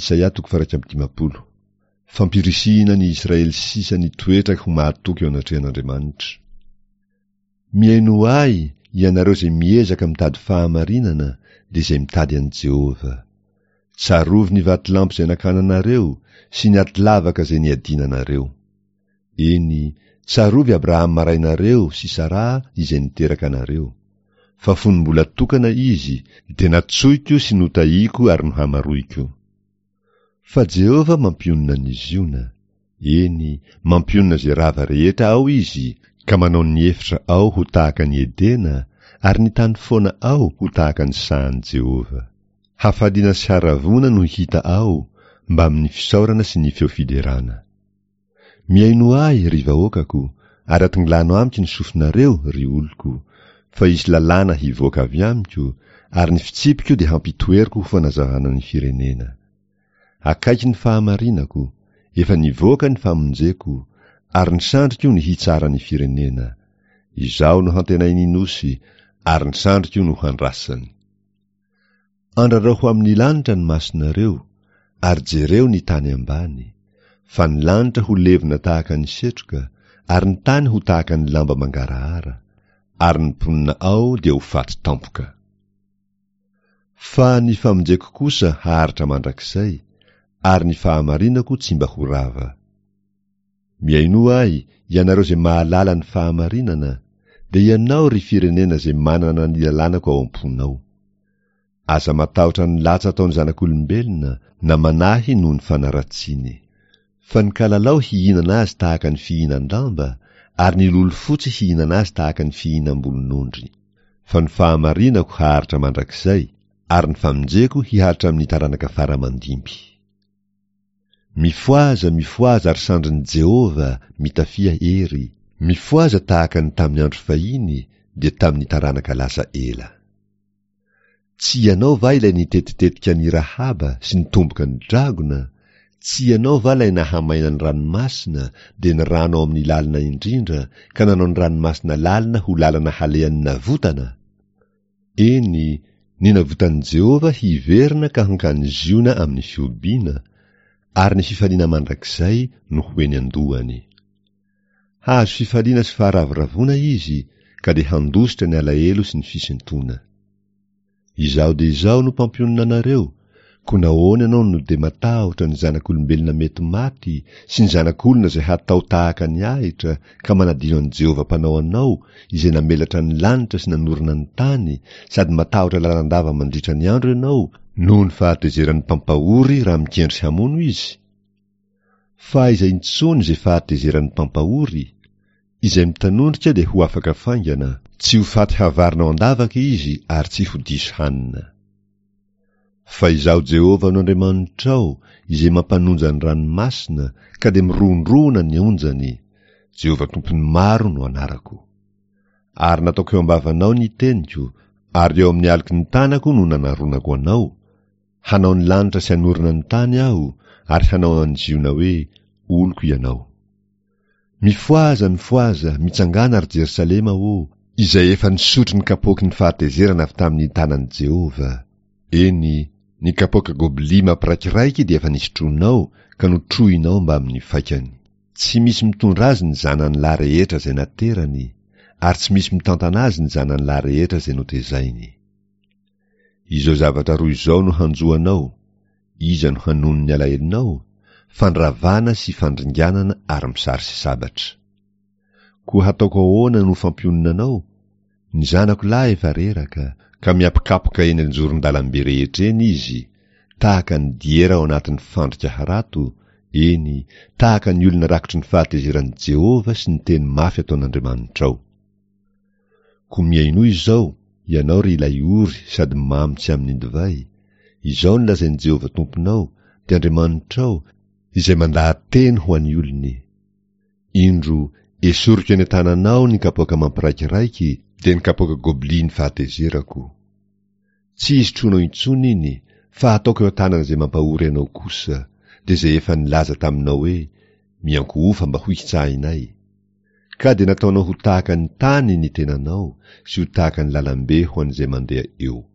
Isaia toko faha 51. Fampirisihina ny Israely sisa nitoetra ho mahatoky eo anatrehan'Andriamanitra. Mihainoa ahy, ianareo izay miezaka mitady fahamarinana, dia izay mitady an'i Jehovah. Tsarovy ny vatolampy izay nakana anareo, sy ny atilavaka izay niadiana anareo. Eny, tsarovy Abrahama rainareo sy Saraha izay niteraka anareo. Fa fony mbola tokana izy, dia natsoiko sy notahiko ary nohamaroiko. Fa Jehovah mampionona an'i Ziona. Eny, mampionona izay rava rehetra ao Izy, ka manao ny efitra ao ho tahaka an'i Edena, ary ny tany foana ao ho tahaka ny sahan'i Jehovah. Hafaliana sy haravoana no hita ao, mbamin'ny fisaorana sy ny feo fiderana. Mihainoa ahy, ry vahoakako, ary atonglano amiko ny sofinareo, ry oloko, fa hisy lalàna hivoaka avy amiko, ary ny fitsipiko dia hampitoeriko ho fanazavana ny firenena. Akaiky ny fahamarinako, efa nivoaka ny famonjeko, ary ny sandriko ny hitsara ny firenena. Izaho no hantenain'ny nosy, ary ny sandriko no handrasany. Andrarao ho amin'ny lanitra ny masonareo, ary jereo ny tany ambany, fa ny lanitra ho levona tahaka ny setroka, ary ny tany ho tahaka ny lamba mangarahara, ary ny mponina ao dia ho faty tampoka. Fa ny famonjeko kosa haharitra mandrakizay, ary ny fahamarinako tsy mba ho rava. Mihainoa ahy, ianareo izay mahalala ny fahamarinana, dia ianao, ry firenena izay manana ny lalànako ao am-ponao. Aza matahotra ny latsa ataon'ny zanak'olombelona, na manahy noho ny fanaratsiany. Fa ny kalalao hihinana azy tahaka ny fihinan-damba, ary ny lolo fotsy hihinana azy tahaka ny fihinam-bolon'ondry. Fa ny fahamarinako haharitra mandrakizay, ary ny famonjeko hihatra amin'ny taranaka fara aman-dimby. Mifohaza, mifohaza ary sandrin'i Jehovah, mitafia hery. Mifohaza tahaka ny tamin'ny andro fahiny, dia tamin'ny taranaka lasa ela. Tsy ianao va ilay nitetitetika an'i Rahaba sy nitomboka ny dragona? Tsy ianao va ilay nahamaina ny ranomasina, dia ny rano ao amin'ny lalina indrindra, ka nanao ny ranomasina lalina ho lalana halehan'ny navotana? Eny, ny navotan'i Jehovah hiverina ka hankany Ziona amin'ny fihobiana, ary ny fifaliana mandrakizay no ho eny an-dohany. Hahazo fifaliana sy faharavoravoana izy, ka dia handositra ny alahelo sy ny fisintoana. Izaho dia Izaho no mpampionona anareo, koa nahoana ianao no dia matahotra ny zanak'olombelona mety maty sy ny zanak'olona izay hatao tahaka ny ahitra ka manadino an'i Jehovah Mpanao anao izay namelatra ny lanitra sy nanorina ny tany sady matahotra lalandava mandritra ny andro ianao noho ny fahatezeran'ny mpampahory raha mikendry hamono izy? Fa aiza intsony izay fahatezeran'ny mpampahory? Izay mitanondrika dia ho afaka faingana, tsy ho faty havarina ao an-davaka izy ary tsy ho diso hanina. Fa Izaho Jehovah no Andriamanitrao, Izay mampanonja ny ranomasina, ka dia mirohondrohona ny onjany, Jehovah Tompon'ny maro no anarako. Ary nataoko eo am-bavanao ny teniko, ary eo amin'ny aloky ny tanako no nanaronako anao, hanao ny lanitra sy hanorina ny tany Aho, ary hanao an'i Ziona hoe, Oloko ianao. Mifohaza, mifohaza, mitsangàna, ry Jerosalema ô, izay efa nisotro ny kapoaky ny fahatezerana avy tamin'ny tanan'i Jehovah. Eny, ny kapoaka goblia mampiraikiraiky dia efa nisotroinao ka notrohinao mbamin'ny faikany. Tsy misy mitondra azy ny zanany lahy rehetra izay naterany, ary tsy misy mitantana azy ny zanany lahy rehetra izay notezainy. Izao zavatra roa izao no hanjo anao, iza no hanono ny alahelonao? Fandravana sy fandringanana ary misary sy sabatra. Koa hataoko ahoana no fampionona anao? Ny zanako lahy efa reraka, ka miapokapoka eny an-joron-dalambe rehetra eny izy, tahaka ny diera ao anatin'ny fandrika harato, eny, tahaka ny olona rakotry ny fahatezeran'i Jehovah sy ny teny mafy ataon'Andriamanitrao. Koa mihainoa izao, ianao ry ilay ory sady mamy tsy amin'ny divay, izao no lazain'i Jehovah Tomponao, dia Andriamanitrao, izay mandaha-teny ho an'ny olony, Indro, esoriko eny an-tananao ny kapoaka mampiraikiraiky, dia ny kapoaka goblian'ny fahatezerako. Tsy hisotroanao intsony iny, fa hataoko eo an-tanan'izay mampahory anao kosa, dia izay efa nilaza taminao hoe, Miankohofa mba hohitsahinay. Ka dia nataonao ho tahaka ny tany ny tenanao sy ho tahaka ny lalambe ho an'izay mandeha eo.